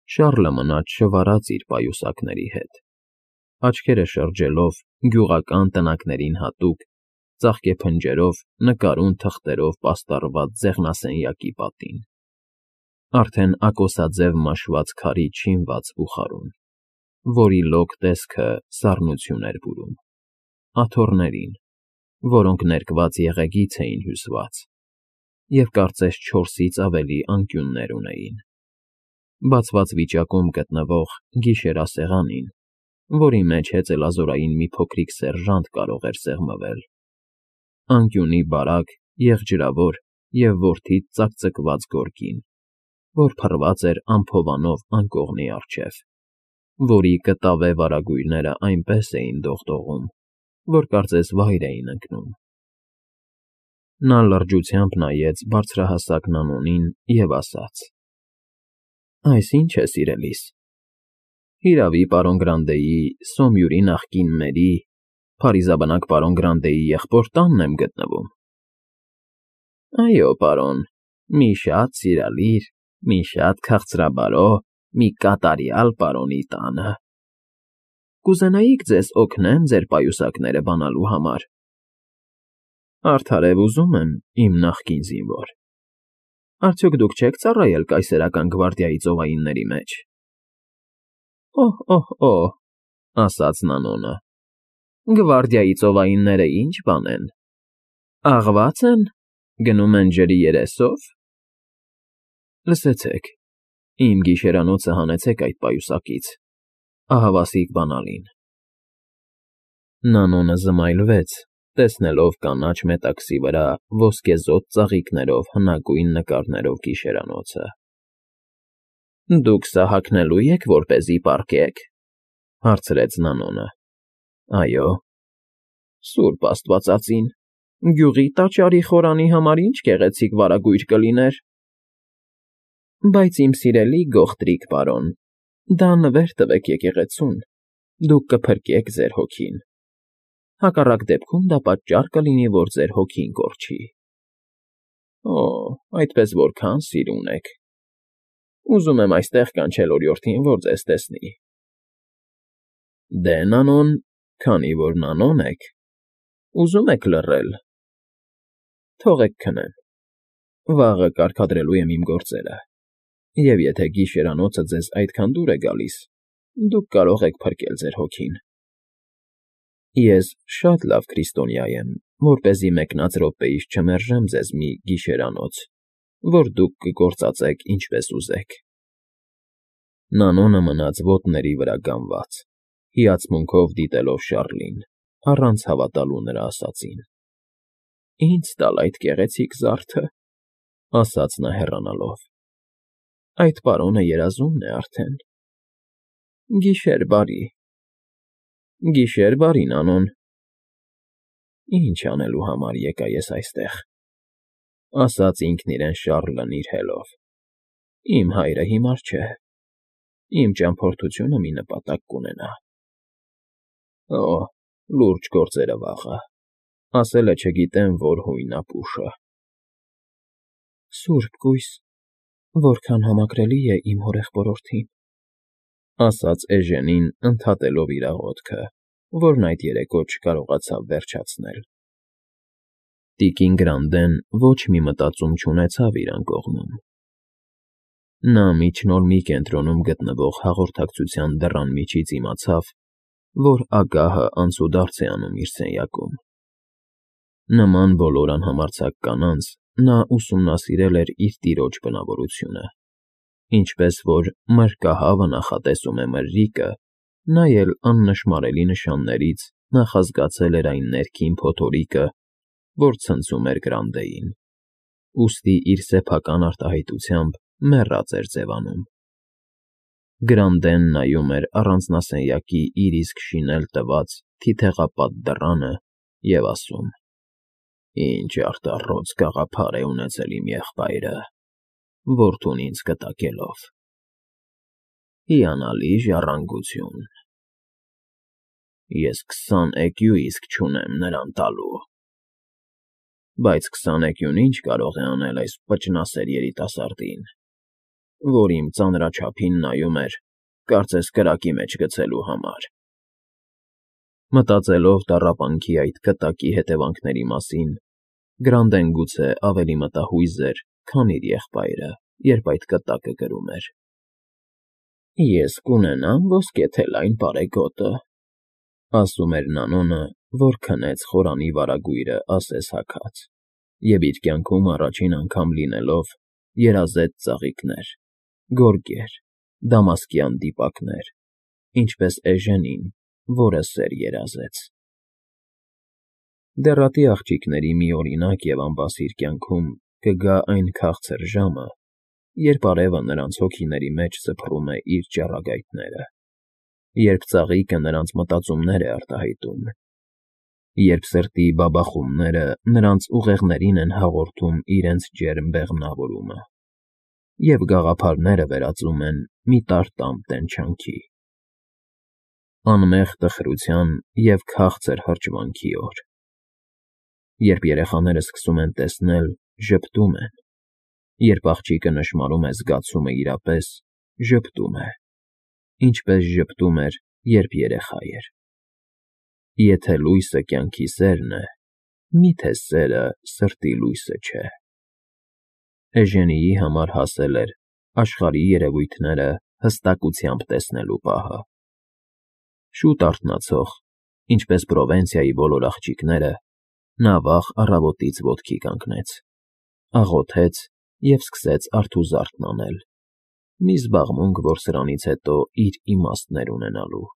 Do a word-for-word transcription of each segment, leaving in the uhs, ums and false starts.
Շառլը մնաց շվարած իր պայուսակների հետ, աչքերը շրջելով գյուղական տնակներին հատուկ, ծաղկե փնջերով, նկարուն թղթերով պաստառված ձեղնասենյակի պատին, արդեն ակոսաձև մաշված քարից շինված բուխարուն, որի լոկ տեսքը սառնություն էր բուրում, աթոռներին, որոնք ներկված եղեգից էին հյուսված և կարծես չորսից ավելի անկյուններ ունեին, բացված վիճակում գտնվող գիշերասեղանին, որի մեջ հեծելազորային մի փոքրիկ սերժանտ կարող էր սեղմվել, անկյունի բարակ, եղջրավոր և որդիդ ծակծկված գորգին, որ փռված էր անփովանով անկողնի առջև, որի կտավե վարագույրներն այնպես էին դողդողում, որ կարծես վայր էին ընկնում։ Նա լրջությամբ նայեց բարձրահասակ Նանոնին և ասաց. «Այս ի՞նչ է, սիրելիս, հիրավի, պարոն Գրանտեի, Սոմյուրի նախկին մերի, փարիզաբնակ պարոն Գրանտեի եղբոր տանն եմ գտնվում»։ ֊ Այո, պարոն, մի շատ սիրալիր, մի շատ քաղցրաբարո, մի կատարյալ պարոնի տանը։ Կուզենայիք ձեզ օգնեմ ձեր պայուսակները բանալու համար։ ֊ Արդարև ուզում եմ, իմ նախկին զինվոր, արդյոք դուք չեք ծառայել կայսերական գվարդիայի ծովայինների մեջ։ ֊ Օհ, օհ, օհ,֊ ասաց Նանոնը,֊ գվարդիայի ծովայինները ի՞նչ բան են, աղվա՞ծ են, գնում են ջրի երեսով։ ֊ Լսեցեք, իմ գիշերանոցը հանեցեք այդ պայուսակից, ահավասիկ բանալին։ Նանոնը զմայլվեց, տեսնելով կանաչ մետաքսի վրա ոսկեզօծ ծաղիկներով հնագույն նկարներով գիշերանոցը։ ֊ Դուք սա հագնելո՞ւ եք, որպեսզի պառկեք,֊ հարցրեց Նանոնը։ ֊ Այո։ ֊ Սուրբ աստվածածին, գյուղի տաճարի խորանի համար ի՜նչ գեղեցիկ վարագույր կլիներ։ ֊ Բայց, իմ սիրելի գողտրիկ պարոն, դա նվեր տվեք եկեղեցուն, դուք կփրկեք ձեր հոգին, հակառակ դեպքում դա պատճառ կլինի, որ ձեր հոգին կորչի։ ֊ Օ՜, այդպես որքա՜ն սիրուն եք… Ուզում եմ այստեղ կանչել օրիորդին, որ ձեզ տեսնի։ ֊ Դե, Նանոն, քանի որ Նանոն եք, ուզում եք լռել, թողեք քնեմ, վաղը կարգադրելու եմ իմ գործերը, և եթե գիշերանոցը ձեզ այդքան դուր է գալիս, դուք կարող եք փրկել ձեր հոգին։ Ես շատ լավ քրիստոնյա եմ, որպեսզի մեկնած րոպեիս չմերժեմ ձեզ մի գիշերանոց, որ դուք կգործածեք ինչպես ուզեք։ Նանոնը մնաց ոտների վրա կանգնած, հիացմունքով դիտելով Շառլին, առանց հավատալու նրա ասածին։ ֊ Ինձ տալ այդ գեղեցիկ զարդը,֊ ասաց նա հեռանալով,֊ այդ պարոնը երազումն է արդեն։ Գիշեր բարի։ ֊ Գիշեր բարի, Նանոն։ ֊ Ի՞նչ անելու համար եկա ես այստեղ,֊ ասաց ինքն իրեն Շառլն իր հելով,֊ իմ հայրը հիմար չէ, իմ ճամփորդությունը մի նպատակ կունենա։ Օ՜, լուրջ գործերը վաղը, ասել է չգիտեմ որ հույնապուշը։ ֊ Սուրբ կույս, որքան համակրելի է իմ հորեղբորորդին,֊ ասաց Էժենին, ընդհատելով իր աղոթքը, որն այդ երեկո չկարողացավ վերջացնել։ Տիկին Գրանդեն ոչ մի մտածում չունեցավ իր անկողնում։ Նա միջնոր մի կենտրոնում գտնվող հաղորդակցության դռան միջից իմացավ, որ ագահը անցուդարձ է անում իր սենյակում։ Նման բոլոր անհամարձակ կանանց նա ուսումնասիրել էր իր տիրոջ բնավորությունը, ինչպես որ մրրկահավը նախատեսում է մրրիկը, նա էլ աննշմարելի նշաններից նախազգացել էր այն ներքին փոթորիկը, որ ցնցում էր Գրանտեին, ուստի իր սեփական արտահայտությամբ մեռած էր ձևանում։ Գրանդեն նայում էր առանձնասենյակի իր իսկ շինել տված թիթեղապատ դռանը և ասում. «Ինչ արտառոց գաղափար է ունեցել իմ եղբայրը, որդուն ինձ կտակելով… Հիանալի ժառանգություն… Ես քսան էկյու իսկ չունեմ նրան տալու… Բայց քսան էկյուն ի՞նչ կարող է անել այս պճնասեր երիտասարդին։ որ իմ ծանրաչափին նայում էր, կարծես կրակի մեջ գցելու համար։ Մտածելով տառապանքի այդ կտակի հետևանքների մասին, Գրանդեն գուցե ավելի մտահույզ էր, քան իր եղբայրը, երբ այդ կտակը կրում էր։ «Ես կունենամ ոսկեթելային պարեգոտը», ասում էր Նանոնը, որ քնեց խորանի վարագույրը ասես հագած, և իր կյանքում առաջին անգամ լինելով երազեց ծաղիկներ, գորգեր, դամասկյան դիպակներ, ինչպես Էժենին, որը սեր երազեց։ Դեռատի աղջիկների մի օրինակ և անբասիր կյանքում կգա այն քաղցր ժամը, երբ արևը նրանց հոգիների մեջ սփռում է իր ճառագայթները, երբ ծաղիկը նրանց մտածումներ է արտահայտում, երբ սրտի բաբախումները նրանց ուղեղներին են հաղորդում իրենց ջերմ բեղմնավորումը, և գաղափարները վերածում են մի տարտամ տենչանքի։ Անմեղ տխրության և քաղցր հրճվանքի օր, երբ երեխաները սկսում են տեսնել, ժպտում են, երբ աղջիկը նշմարում է զգացումը իրապես, ժպտում է, ինչպես ժպտում էր, երբ երեխա էր։ Եթե լույսը կյանքի սերն է, մի՞թե սերը սրտի լույսը չէ։ Էժենիի համար հասել էր աշխարհի երևույթները հստակությամբ տեսնելու պահը։ Շուտ արթնացող, ինչպես Պրովենցիայի բոլոր աղջիկները, նա վաղ առավոտից ոտքի կանգնեց, աղոթեց և սկսեց արթուզարդն անել, մի զբաղմունք, որ սրանից հետո իր իմաստներ ունենալու։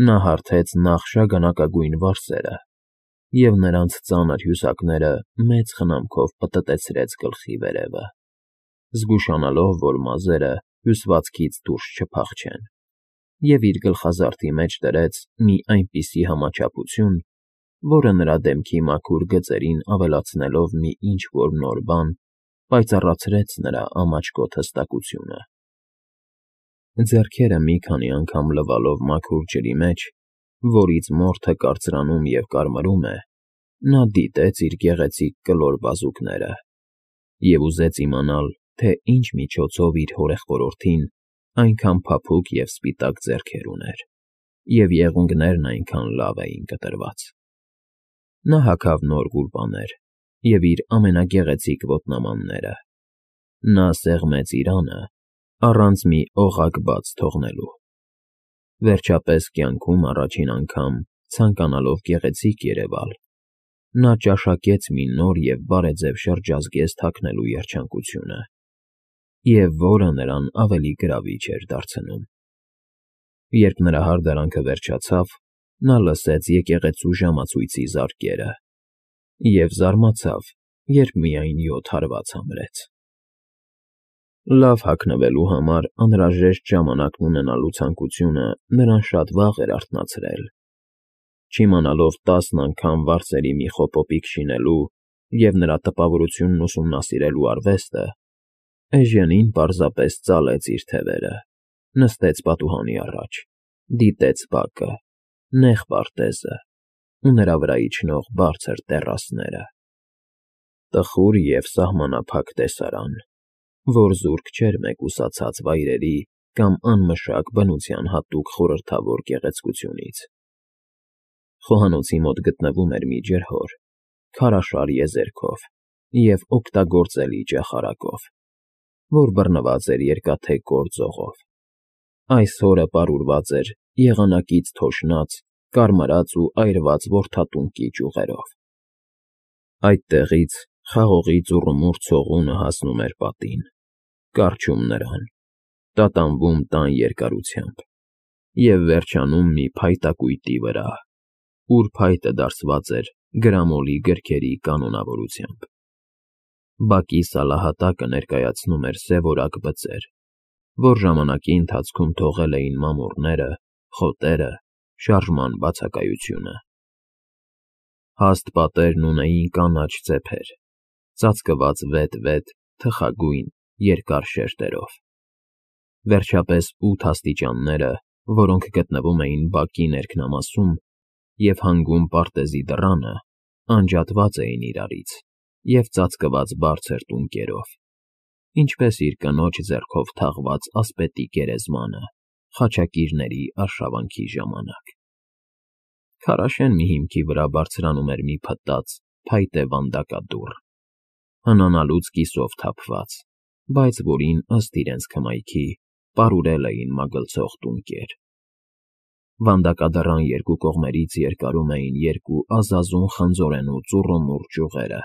Նա հարթեց նախ շագանակագույն վարսերը և նրանց ծանր հյուսակները մեծ խնամքով պտտեցրեց գլխի վերևը, զգուշանալով, որ մազերը հյուսվածքից դուրս չփախչեն, և իր գլխազարդի մեջ դրեց մի այնպիսի համաչափություն, որը նրա դեմքի մաքուր գծերին ավելացնելով մի ինչ֊որ նոր բան, պայծառացրեց նրա ամաչկոտ հստակությունը։ Ձեռքերը մի քանի անգամ լվալով մաքուր ջրի մեջ, որից մորթը կարծրանում և կարմրում է, նա դիտեց իր գեղեցիկ կլոր բազուկները և ուզեց իմանալ, թե ինչ միջոցով իր հորեղբորորդին այնքան փափուկ և սպիտակ ձեռքեր ուներ, և եղունգներն այնքան լավ էին կտրված։ Նա հագավ նոր գուլպաներ և իր ամենագեղեցիկ ոտնամանները։ Նա սեղմեց իր անը, առանց մի օղակ բաց թողնելու։ Վերջապես կյանքում առաջին անգամ, ցանկանալով գեղեցիկ երևալ, նա ճաշակեց մի նոր և բարեձև շրջազգեստ հագնելու երջանկությունը, և որը նրան ավելի գրավիչ էր դարձնում։ Երբ նրա հարդարանքը վերջացավ, նա լսեց եկեղեցու ժամացույցի զարկերը և զարմացավ, երբ միայն յոթ հարված համրեց։ Լավ հագնվելու համար անհրաժեշտ ժամանակն ունենալու ցանկությունը նրան շատ վաղ էր արթնացրել։ Չիմանալով տասն անգամ վարսերի մի խոպոպիկ շինելու և նրա տպավորությունն ուսումնասիրելու արվեստը, Էժենին պարզապես ծալեց իր թևերը, նստեց պատուհանի առաջ, դիտեց բակը, նեղ պարտեզը ու նրա վրա իջնող բարձր տեռասները։ Տխուր և սահմանափակ տեսարան, որ զուրկ չէր մեկուսացած վայրերի կամ անմշակ բնության հատուկ խորհրդավոր գեղեցկությունից։ Խոհանոցի մոտ գտնվում էր մի ջրհոր, քարաշար եզերքով և օգտագործելի ճախարակով, որ բռնված էր երկաթե կոր ձողով։ Այս հորը պարուրված էր եղանակից թոշնած, կարմրած ու այրված որդատունկի ճյուղերով։ Այդտեղից խաղողի ծուռումուռ ցողունը հասնում էր պատին, կառչում նրան, տատանվում տան երկարությամբ և վերջանում մի փայտակույտի վրա, ուր փայտը դարսված էր գրամոլի գրքերի կանոնավորությամբ։ Բակի սալահատակը ներկայացնում էր սևորակ բծեր, որ ժամանակի ընթացքում թողել էին մամուռները, խոտերը, շարժման բացակայությունը։ Հաստ պատերն ունեին կանաչ ծեփեր, ծածկված վետ֊վետ, թխագույն, երկար շերտերով։ Վերջապես ութ աստիճանները, որոնք գտնվում էին բակի ներքնամասում և հանգում պարտեզի դռանը, անջատված էին իրարից և ծածկված բարձր տունկերով։ ինչպես իր կնոջ ձեռքով թաղված ասպետի գերեզմանը խաչակիրների արշավանքի ժամանակ։ Քարաշեն մի հիմքի վրա բարձրանում էր մի փտած, փայտե վանդակադուռ, հնանալուց կիսով թափված, բայց որին, ըստ իրենց քմայքի, պարուրել էին մագլցող տունկեր։ Վանդակադռան երկու կողմերից երկարում էին երկու ազազուն խնձորենու ծուռումուռ ճյուղերը,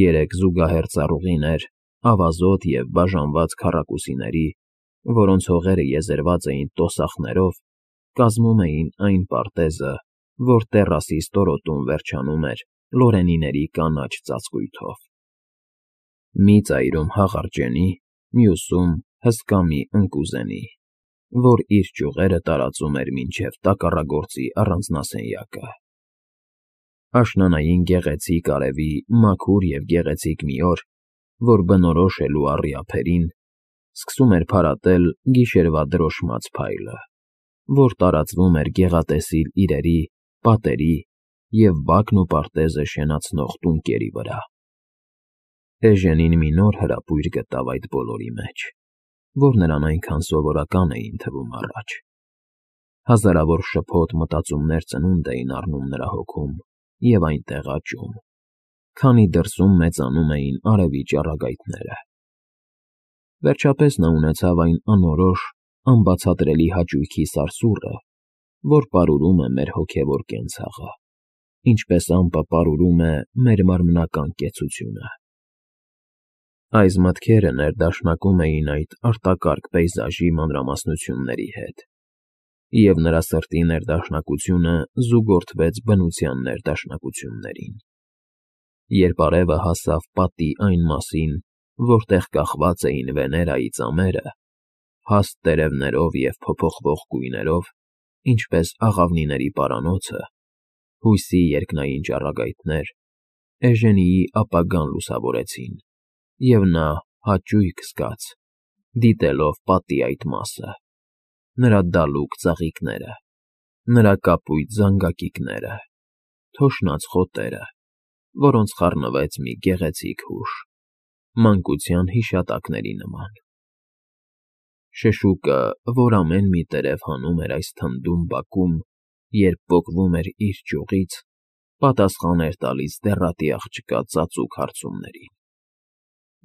երեք զուգահեռ ծառուղիներ, ավազոտ և բաժանված քառակուսիների, որոնց հողերը եզերված էին տոսախներով, կազմում էին այն պարտեզը, որ տեռասի ստորոտում վերջանում էր լորենիների կանաչ ծածկույթով։ Մի ծայրում հաղարջենի, մյուսում հսկա մի ընկուզենի, որ իր ճյուղերը տարածում էր մինչև տակառագործի առանձնասենյակը։ Աշնանային գեղեցիկ արևի մաքուր և գեղեցիկ մի օր, որ բնորոշ է լուառի ափերին, սկսում էր փարատել գիշերվա դրոշմած փայլը, որ տարածվում էր գեղատեսիլ իրերի, պատերի և բակն ու պարտեզը շենացնող տունկերի վրա։ Էժենին մի նոր հրապույր գտավ այդ բոլորի մեջ, որ նրան այնքան սովորական էին թվում առաջ։ Հազարավոր շփոթ մտածումներ ծնունդ էին առնում նրա հոգում և այնտեղ աճում, քանի դրսում մեծանում էին արևի ճառագայթները։ Վերջապես նա ունեցավ այն անորոշ, անբացատրելի հաճույքի սարսուռը, որ պարուրում է մեր հոգևոր կենցաղը, ինչպես ամպը պարուրում է մեր մարմնական կեցությունը։ Այս մտքերը ներդաշնակում էին այդ արտակարգ պեյզաժի մանրամասնությունների հետ, և նրա սրտի ներդաշնակությունը զուգորդվեց բնության ներդաշնակություններին։ Երբ արևը հասավ պատի այն մասին, որտեղ կախված էին Վեներայի ծամերը, հաստ տերևներով և փոփոխվող գույներով, ինչպես աղավնիների պարանոցը, հույսի երկնային ճառագայթներ, Էժենիի ապագան լուսավորեցին, և նա հաճույք զգաց, դիտելով պատի այդ մասը, նրա դալուկ ծաղիկները, նրա կապույտ զանգակիկները, թոշնած խոտերը, որոնց խառնվեց մի գեղեցիկ հուշ, մանկության հիշատակների նման։ Շշուկը, որ ամեն մի տերև հանում էր այս թնդում բակում, երբ պոկվում էր իր ճյուղից, պատասխան էր տալիս դեռատի աղջկա ծածուկ հարցումներին։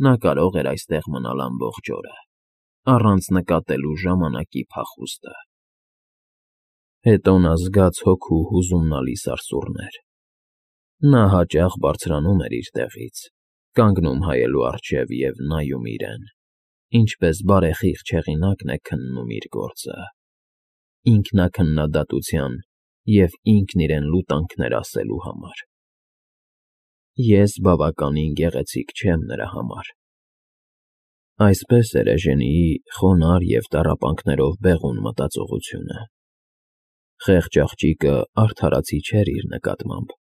Նա կարող էր այստեղ մնալ ամբողջ օրը, առանց նկատելու ժամանակի փախուստը։ Հետո նա զգաց հոգու հուզումնալի սարսուռներ։ Նա հաճախ բարձրանում էր իր տեղից, կանգնում հայելու առջև և նայում իրեն, ինչպես բարեխիղճ հեղինակն է քննում իր գործը, ինքնաքննադատության և ինքն իրեն լուտանքներ ասելու համար։ Ես բավականին գեղեցիկ չեմ նրա համար։ Այսպես էր Էժենիի խոնարհ և տառապանքներով բեղուն մտածողությունը։ Խեղճ աղջիկը արդարացի չէր իր նկատմամբ,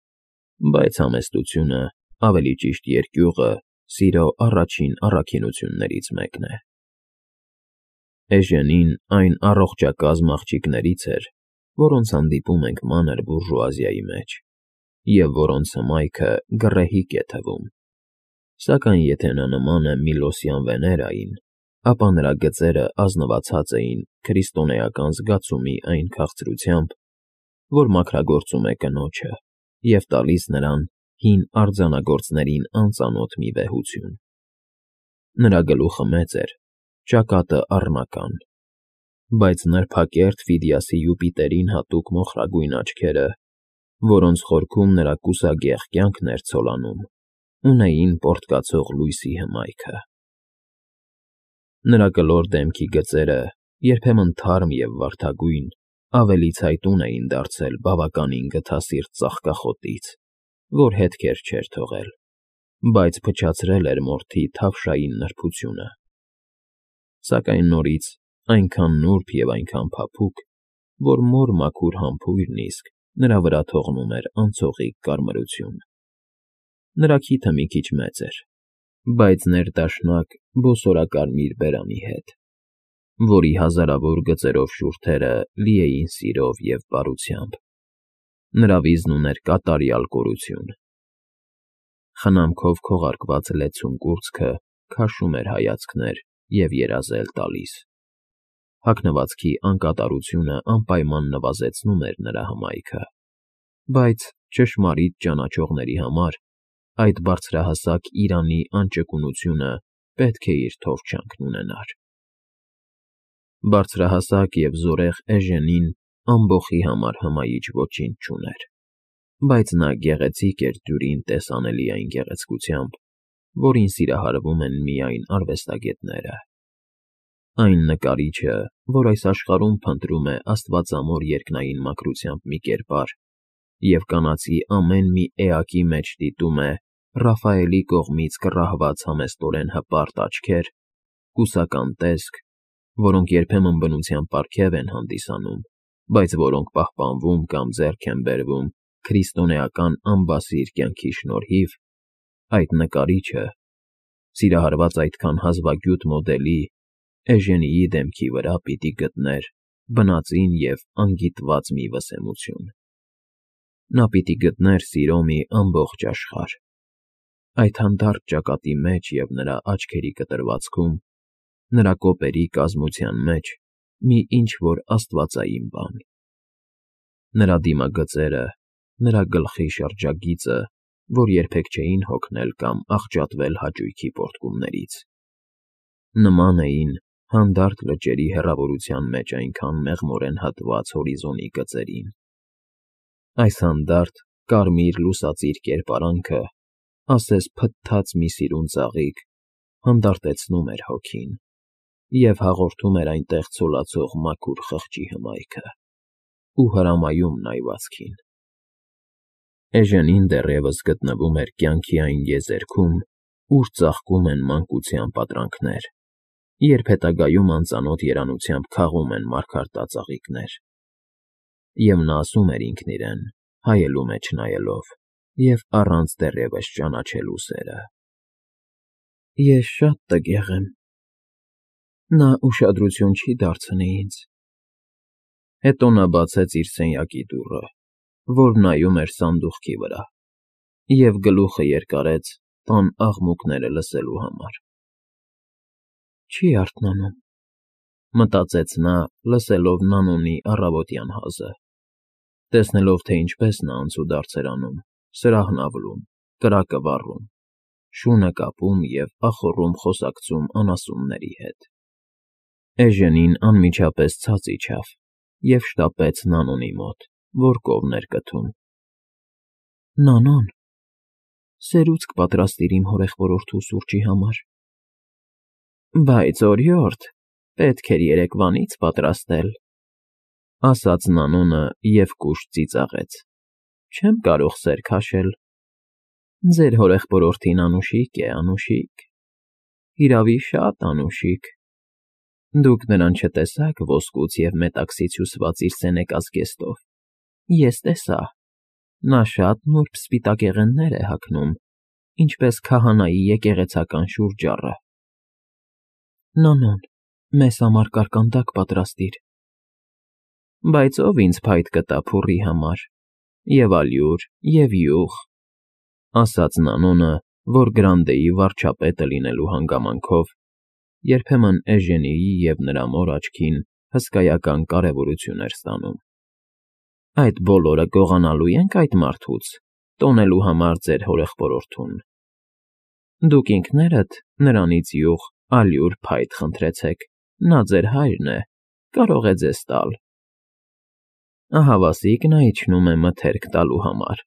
բայց համեստությունը, ավելի ճիշտ երկյուղը, սիրո առաջին առաքինություններից մեկն է։ Էժենին այն առողջակազմ աղջիկներից էր, որոնց հանդիպում ենք մանր բուրժուազիայի մեջ, և որոնց հմայքը գռեհիկ է թվում, սակայն եթե նա նման է Միլոսյան Վեներային, ապա նրա գծերը ազնվացած էին քրիստոնեական զգացումի այն քաղցրությամբ, որ մաքրագործում է կնոջը և տալիս նրան հին արձանագործներին անծանոթ մի վեհություն։ Նրա գլուխը մեծ էր, ճակատը առնական, բայց նրբակերտ Ֆիդիասի Յուպիտերին հատուկ մոխրագույն աչքերը, որոնց խորքում նրա կուսագեղ կյանքն էր ցոլանում, ունեին պոռթկացող լույսի հմայքը։ Նրա կլոր դեմքի գծերը, երբեմն թարմ և վարդագույն, ավելի ցայտուն էին դարձել բավականին գթասիրտ ծաղկախոտից, որ հետքեր չէր թողել, բայց փչացրել էր մորթի թավշային նրբությունը, սակայն նորից այնքան նուրբ և այնքան փափուկ, որ մոր մաքուր համբույրն իսկ նրա վրա թողնում էր անցողիկ կարմրություն։ Նրա քիթը մի քիչ մեծ էր, բայց ներդաշնակ բոսորակարմիր բերանի հետ, որի հազարավոր գծերով շուրթերը լի էին սիրով և բարությամբ։ Նրա վիզն ուներ կատարյալ կորություն։ Խնամքով քողարկված լեցուն կուրծքը քաշում էր հայացքներ և երազել տալիս։ Հագնվածքի անկատարությունը անպայման նվազեցնում էր նրա հմայքը, բայց ճշմարիտ ճանաչողների համար այդ բարձրահասակ իրանի անճկունությունը պետք է իր թովչյանքն ունենար։ Բարձրահասակ և զորեղ Էժենին ամբոխի համար հմայիչ ոչինչ չուներ, բայց նա գեղեցիկ էր դյուրին տեսանելի այն գեղեցկությամբ, որին սիրահարվում են միայն արվեստագետները։ Այն նկարիչը, որ այս աշխարհում փնտրում է աստվածամոր երկնային մաքրությամբ մի կերպար և կանացի ամեն մի էակի մեջ դիտում է Ռաֆայելի կողմից կռահված համեստորեն հպարտ աչքեր, կուսական տեսք, որոնք երբեմն բնության պարգև են հանդիսանում, բայց որոնք պահպանվում կամ ձեռք են բերվում քրիստոնեական անբասիր կյանքի շնորհիվ, այդ նկարիչը, սիրահարված այդքան հազվագյուտ մոդելի, Էժենիի դեմքի վրա պիտի գտներ բնածին և անգիտված մի վսեմություն։ Նա պիտի գտներ սիրո մի ամբողջ աշխարհ, այդ հանդարտ ճակատի մեջ և նրա աչքերի կտրվածքում, նրա կոպերի կազմության մեջ մի ինչ֊որ աստվածային բան։ Նրա դիմագծերը, նրա գլխի շրջագիծը, որ երբեք չէին հոգնել կամ աղճատվել հաճույքի պոռթկումներից, նման էին հանդարտ լճերի հեռավորության մեջ այնքան մեղմորեն հատված հորիզոնի գծերին։ Այս հանդարտ կարմիր լուսածիր կերպարանքը, ասես փթթած մի սիրուն ծաղիկ, հանդարտեցնում էր հոգին և հաղորդում էր այնտեղ ցոլացող մաքուր խղճի հմայքը ու հրամայում նայվածքին։ Էժենին դեռևս գտնվում էր կյանքի այն եզերքում, ուր ծաղկում են մանկության պատրանքներ, երբ հետագայում անծանոթ երանությամբ քաղում են մարգարտածաղիկներ։ Եվ նա ասում էր ինքն իրեն, հայելու մեջ նայելով և առանց դեռևս ճանաչելու սերը. «Ես շատ տգեղ եմ, նա ուշադրություն չի դարձնի ինձ»։ Հետո նա բացեց իր սենյակի դուռը, որ նայում էր սանդուղքի վրա, և գլուխը երկարեց տան աղմուկները լսելու համար։ «Չի արթնանում», մտածեց նա, լսելով Նանոնի առավոտյան հազը, տեսնելով, թե ինչպես նա անցուդարձ էր անում, սրահն ավլում, կրակը վառում, շունը կապում և ախոռում խոսակցում անասունների հետ։ Էժենին անմիջապես ցած իջավ և շտապեց Նանոնի մոտ, որ կովն էր կթում։ «Նանո՛ն, սերուցք պատրաստիր իմ հորեղբորորդու սուրճի համար»։ «Բայց, օրիորդ, պետք էր երեկվանից պատրաստել», ասաց Նանոնը և կուշտ ծիծաղեց։ «Չեմ կարող սեր քաշել։ Ձեր հորեղբորորդին անուշիկ է, անուշիկ, հիրավի, շատ անուշիկ։ Դուք նրան չտեսաք ոսկուց և մետաքսից հյուսված իր սենեկա զգեստով, ես տեսա, նա շատ նուրբ սպիտակեղեններ է հագնում, ինչպես քահանայի եկեղեցական շուրջառը։ Նանոն, մեզ համար կարկանդակ պատրաստիր»։ «Բայց ո՞վ ինձ փայտ կտա փուռի համար, և ալյուր, և յուղ», ասաց Նանոնը, որ Գրանդեի վարչապետը լինելու հանգամանքով երբեմն Էժենիի և նրա մոր աչքին հսկայական կարևորություն էր ստանում։ «Այդ բոլորը գողանալու ենք այդ մարդուց, տոնելու համար ձեր հորեղբորորդուն։ Դուք ինքներդ նրանից յուղ, ալյուր, փայտ խնդրեցեք, նա ձեր հայրն է, կարող է ձեզ տալ»։ Ահավասիկ նա իջնում է մթերք տալու համար,